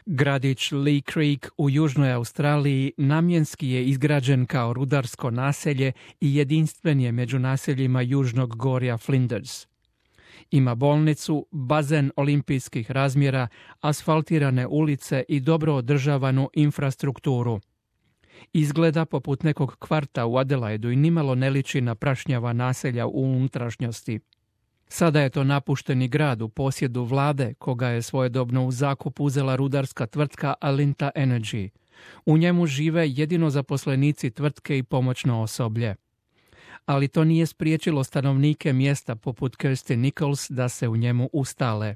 Gradić Lee Creek u Južnoj Australiji namjenski je izgrađen kao rudarsko naselje i jedinstven je među naseljima južnog gorja Flinders. Ima bolnicu, bazen olimpijskih razmjera, asfaltirane ulice i dobro održavanu infrastrukturu. Izgleda poput nekog kvarta u Adelaidu i nimalo ne liči na prašnjava naselja u unutrašnjosti. Sada je to napušteni grad u posjedu vlade, koga je svojedobno u zakup uzela rudarska tvrtka Alinta Energy. U njemu žive jedino zaposlenici tvrtke i pomoćno osoblje. Ali to nije spriječilo stanovnike mjesta poput Kirsty Nichols da se u njemu ustale.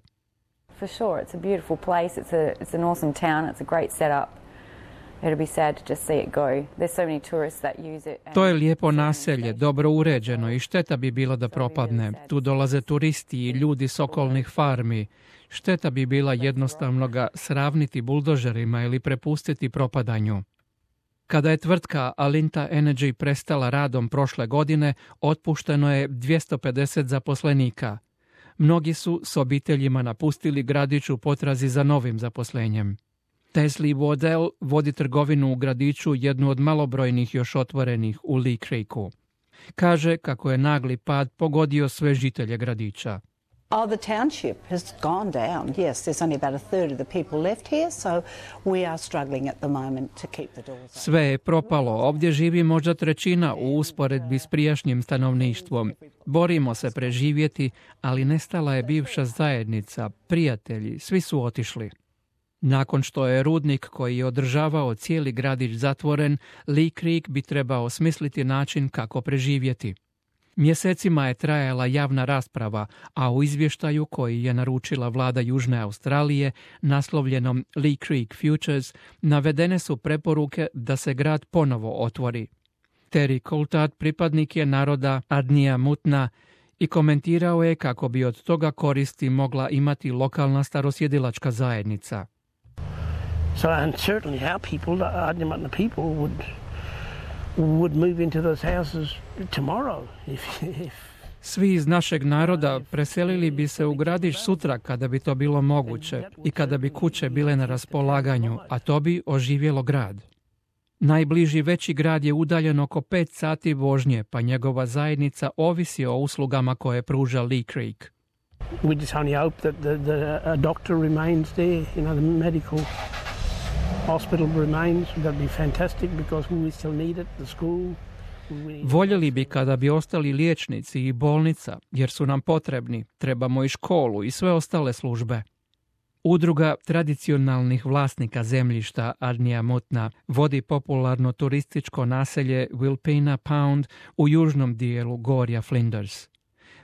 For sure, it's a beautiful place, it's an awesome town, it's a great setup. It'll be sad to just see it go. There's so many tourists that use it. To je lijepo naselje, dobro uređeno i šteta bi bilo da propadne. Tu dolaze turisti i ljudi s okolnih farmi. Šteta bi bila jednostavno ga sravniti buldožerima ili prepustiti propadanju. Kada je tvrtka Alinta Energy prestala radom prošle godine, otpušteno je 250 zaposlenika. Mnogi su s obiteljima napustili gradić u potrazi za novim zaposlenjem. Tesli Waddell vodi trgovinu u gradiću, jednu od malobrojnih još otvorenih u Lee Creeku. Kaže kako je nagli pad pogodio sve žitelje gradića. Oh, the township has gone down. Yes, there's only about a third of the people left here, so we are struggling at the moment to keep the doors open. Sve je propalo. Ovdje živi možda trećina u usporedbi s prijašnjim stanovništvom. Borimo se preživjeti, ali nestala je bivša zajednica, prijatelji, svi su otišli. Nakon što je rudnik koji je održavao cijeli gradić zatvoren, Lee Creek bi trebao osmisliti način kako preživjeti. Mjesecima je trajala javna rasprava, a u izvještaju koji je naručila vlada Južne Australije, naslovljenom Lee Creek Futures, navedene su preporuke da se grad ponovo otvori. Terry Coulthard pripadnik je naroda Adnija Mutna i komentirao je kako bi od toga koristi mogla imati lokalna starosjedilačka zajednica. So, and certainly our people, the Adnyamatna people, would move into those houses tomorrow if Svi iz našeg naroda preselili bi se u gradić sutra kada bi to bilo moguće i kada bi kuće bile na raspolaganju, a to bi oživjelo grad. Najbliži veći grad je udaljen oko 5 sati vožnje, pa njegova zajednica ovisi o uslugama koje pruža Lee Creek. We just only hope that a doctor remains there, the medical hospital remains. That'd be fantastic because we still need it, the school. Voljeli bi kada bi ostali liječnici i bolnica, jer su nam potrebni. Trebamo i školu i sve ostale službe. Udruga tradicionalnih vlasnika zemljišta Adnija Mutna vodi popularno turističko naselje Wilpena Pound u južnom dijelu gorja Flinders.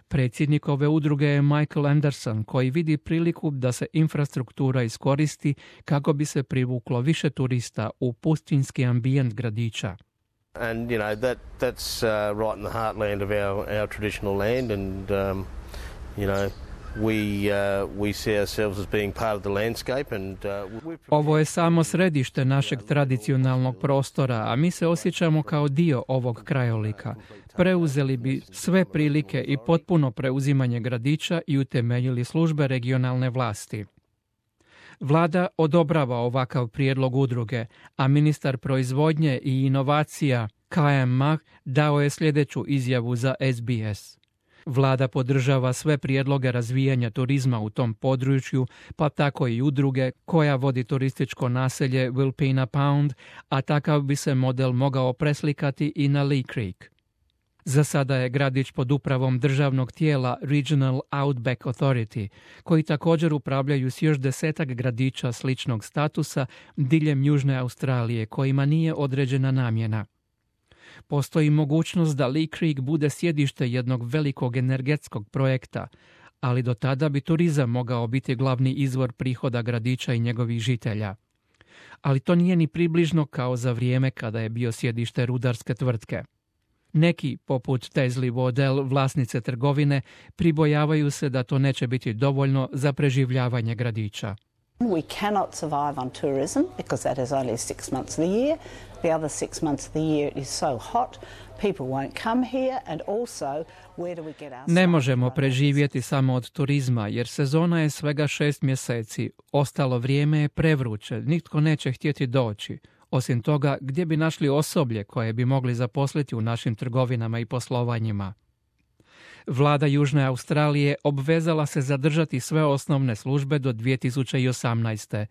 Predsjednik ove udruge je Michael Anderson, koji vidi priliku da se infrastruktura iskoristi kako bi se privuklo više turista u pustinski ambijent gradića. And that's right in the heartland of our traditional land, and we see ourselves as being part of the landscape. And ovo je samo središte našeg tradicionalnog prostora, a mi se osjećamo kao dio ovog krajolika. Preuzeli bi sve prilike i potpuno preuzimanje gradića i utemeljili službe regionalne vlasti. Vlada odobrava ovakav prijedlog udruge, a ministar proizvodnje i inovacija Kayam Mah dao je sljedeću izjavu za SBS. Vlada podržava sve prijedloge razvijanja turizma u tom području, pa tako i udruge koja vodi turističko naselje Wilpena Pound, a takav bi se model mogao preslikati i na Lee Creek. Za sada je gradić pod upravom državnog tijela Regional Outback Authority, koji također upravljaju s još 10 gradića sličnog statusa diljem Južne Australije, kojima nije određena namjena. Postoji mogućnost da Lee Creek bude sjedište jednog velikog energetskog projekta, ali do tada bi turizam mogao biti glavni izvor prihoda gradića i njegovih žitelja. Ali to nije ni približno kao za vrijeme kada je bio sjedište rudarske tvrtke. Neki, poput Tesli Waddell, vlasnice trgovine, pribojavaju se da to neće biti dovoljno za preživljavanje gradića. We cannot survive on tourism because that is only 6 months of the year. The other 6 months of the year it is so hot, people won't come here, and also where do we get our... Ne možemo preživjeti samo od turizma, jer sezona je svega 6 mjeseci. Ostalo vrijeme je prevruće, nitko neće htjeti doći. Osim toga, gdje bi našli osoblje koje bi mogli zaposliti u našim trgovinama i poslovanjima? Vlada Južne Australije obvezala se zadržati sve osnovne službe do 2018.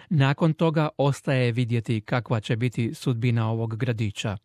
Nakon toga ostaje vidjeti kakva će biti sudbina ovog gradića.